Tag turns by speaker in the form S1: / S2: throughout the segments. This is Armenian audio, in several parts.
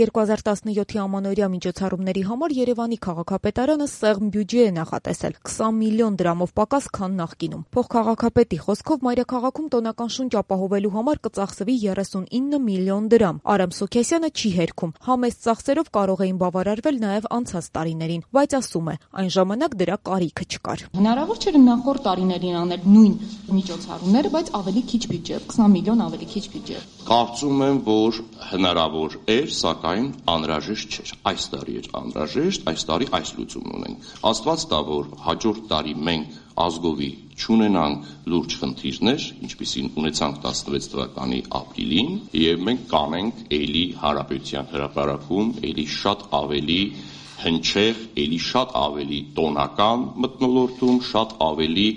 S1: 2017-ի ամանորյա միջոցառումների համար Երևանի քաղաքապետարանը սեղմ բյուջե է նախատեսել 20 միլիոն դրամով պակաս, քան նախկինում։ Փոխքաղաքապետի խոսքով մայրաքաղաքում տոնական շունչ ապահովելու համար կծախսվի 39 միլիոն դրամ։ Արամ Սուքեսյանը չի հերքում։ Համեստ ծախսերով կարող էին բավարարվել նաև անցած տարիներին, բայց ասում է, այն ժամանակ դրա կարիքը չկար։
S2: Հնարավոր չէր նախորդ տարիներին անել նույն միջոցառումները, բայց ավելի քիչ բյուջե, 20 միլիոն ավելի քիչ բյուջե։
S3: Կարծում եմ, որ հնարավոր էր, սակայն անհրաժեշտ չէր։ Այս տարի էր անհրաժեշտ, այս տարի այս լուծումն ունենք։ Աստված տա, որ հաջորդ տարի մենք ազգովի չունենանք լուրջ խնդիրներ, ինչպիսին ունեցանք 16 թվականի ապրիլին, եւ մենք կանենք էլի Հանրապետության հրապարակում էլի շատ ավելի հնչեղ, էլի շատ ավելի տոնական մթնոլորտում, շատ ավելի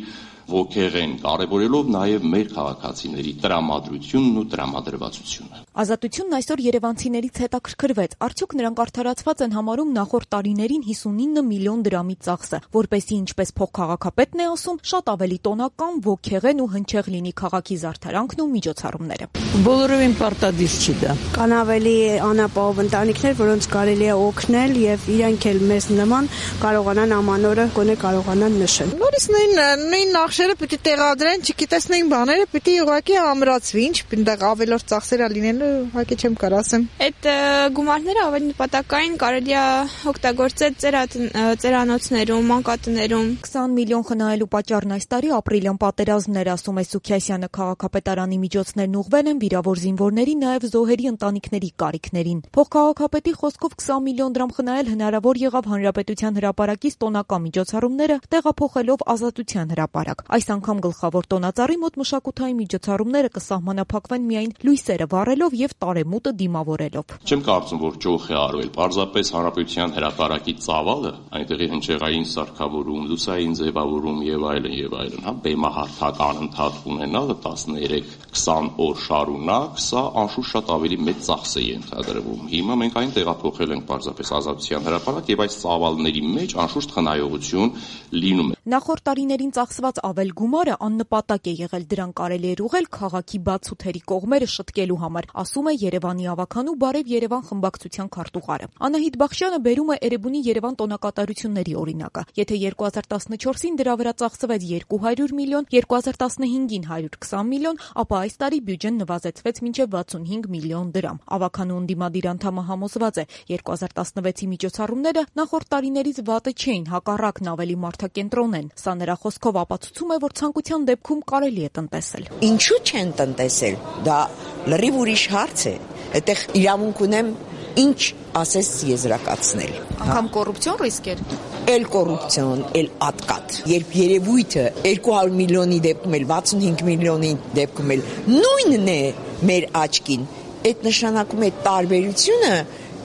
S3: ոգեղեն, կարևորելով նաև մեր քաղաքացիների տրամադրությունն ու տրամադրվածությունը։
S1: Ազատությունն այսօր երևանցիներից հետաքրքրվեց, արդյոք նրանք արդարացված են համարում նախորդ տարիներին 59 միլիոն դրամի ծախսը, որպեսզի ինչպես փոխքաղաքապետն է ասում, շատ ավելի տոնական, ոգեղեն ու հնչեղ լինի քաղաքի զարդարանքն ու միջոցառումները։
S4: Բոլորովին պարտադիր չի դա։
S5: Կան ավելի անապահով ընտանիքներ, որոնց կարելի է օգնել եւ իրենք էլ մեզ նման կարողանան ամանորը գոնե կարողանան նշել։
S6: Նորից նույն նախշերը պիտի տեղադրեն, չգիտես նույն բաները պիտի ուղղակի ամրացվի, ինչ այնտեղ ավելորդ ծախսեր լինելու, ուղղակի չեմ կարող ասեմ։
S7: Այդ գումարները ավելի նպատակային կարելի է օգտագործել ծերանոցներում, մանկատներում։
S1: 20 միլիոն խնայելու պատճառն այս տարի ապրիլյան պատերազմն էր, ասում է Սուքեսյանը։ Քաղաքապետարանի միջոցներն ուղղվել են վիրավոր զինվորների, նաև զոհերի ընտանիքների կարիքներին։ Փոխքաղաքապետի խոսքով 20 միլիոն դրամ խնայել հնարավոր եղավ Հանրապետության հրապարակից տոնական միջոցառումները տեղափոխելով Ազատության հրապարակ։ Այս անգամ գլխավոր տոնածառի մոտ մշակութային միջոցառումները կսահմանափակվեն միայն լույսերը վառելով եւ տարեմուտը դիմավորելով։
S3: Չեմ կարծում, որ ճոխ է արվել։ Պարզապես Հանրապետության հրապարակի ծավալը, այնտեղի հնչեղային սարքավորում, լուսային ձևավորում եւ այլն, հա, բեմահարթակ անընդհատ ունենալը 13-20 օր շարունակ, սա անշուշտ շատ ավելի մեծ ծախս է ենթադրվում։ Հիմա մենք այն տեղափոխել ենք պարզապես Ազատության հրապարակ եւ այս ծավալների մեջ անշուշտ խնայողություն լինում է։
S1: Նախորդ տարիներին ծախսված ավել գումարը աննպատակ է եղել, դրան կարելի էր ուղղել քաղաքի բացութերի կողմերը շտկելու համար, ասում է Երևանի ավականու Բարև Երևան խմբակցության քարտուղարը։ Անահիտ Բախշյանը բերում է Էրեբունի Երևան տոնակատարությունների օրինակը։ Եթե 2014-ին դրա վրա ծախսվեց 200 միլիոն, 2015-ին 120 միլիոն, ապա այս տարի բյուջեն նվազեցվեց մինչև 65 միլիոն դրամ։ Ավականու ընդդիմադիր անդամը համոզված է, 2016-ի միջոցառումները նախորդ տարիներից վատը չէին, հակառակն ավելի մարդակենտրոն են։ Սա նրա խոսքով ապացուցում է, որ ցանկության դեպքում կարելի է տնտեսել։
S4: Ինչու չեն տնտեսել։ Դա լրիվ ուրիշ հարց է։ Այդտեղ իրավունք ունեմ ինչ ասես եզրակացնել։
S2: Անգամ կոռուպցիոն ռիսկ էր։
S4: Էլ կոռուպցիոն, էլ ատկատ։ Երբ երևույթը 200 միլիոնի դեպքում էլ 65 միլիոնի դեպքում էլ նույնն է մեր աչքին, այդ նշանակում է տարբերությունը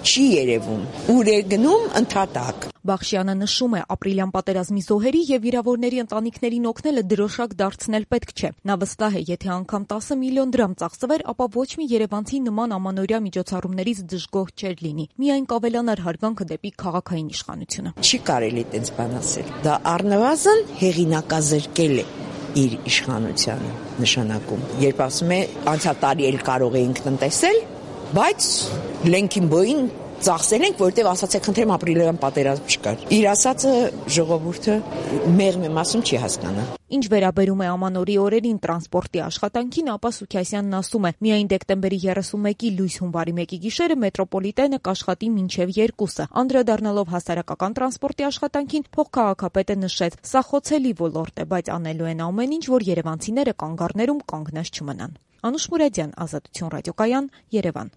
S4: չի երևում, ուր է գնում ընդհատակ։
S1: Բախշյանը նշում է, ապրիլյան պատերազմի զոհերի եւ վիրավորների ընտանիքներին օգնելը դրոշակ դարձնել պետք չէ։ Նա վստահ է, եթե անգամ 10 միլիոն դրամ ծախսվեր, ապա ոչ մի երևանցի նման ամանորյա միջոցառումներից դժգոհ չէր լինի։ Միայն կավելանար հարգանքը դեպի քաղաքային իշխանությունը։
S4: Չի կարելի այդպես բան ասել։ Դա առնվազն հեղինակազրկել է իր իշխանությանը նշանակում։ Երբ ասում է անցյալ տարի էլ կարող էինք տնտեսել, բայց լենքին բոյին ծախսել ենք, որտեղ ասացեք, խնդրեմ ապրիլյան պատերազմ չկար։ Իր ասածը ժողովուրդը մեղմ եմ ասում չի հասկանա։
S1: Ինչ վերաբերում է ամանորի օրերին տրանսպորտի աշխատանքին, ապա Սուքեսյանն ասում է, միայն դեկտեմբերի 31-ի լույս հունվարի 1-ի գիշերը մետրոպոլիտենը կաշխատի մինչև 2-ը։ Անդրադառնալով հասարակական տրանսպորտի աշխատանքին, փոխքաղաքապետը նշեց, սա խոցելի ոլորտ է, բայց անելու են ամեն ինչ, որ երևանցիները կանգառներում կանգնած չմնան։ Անուշ Մուրադյան, Ազատություն ռադիոկայան, Երևան։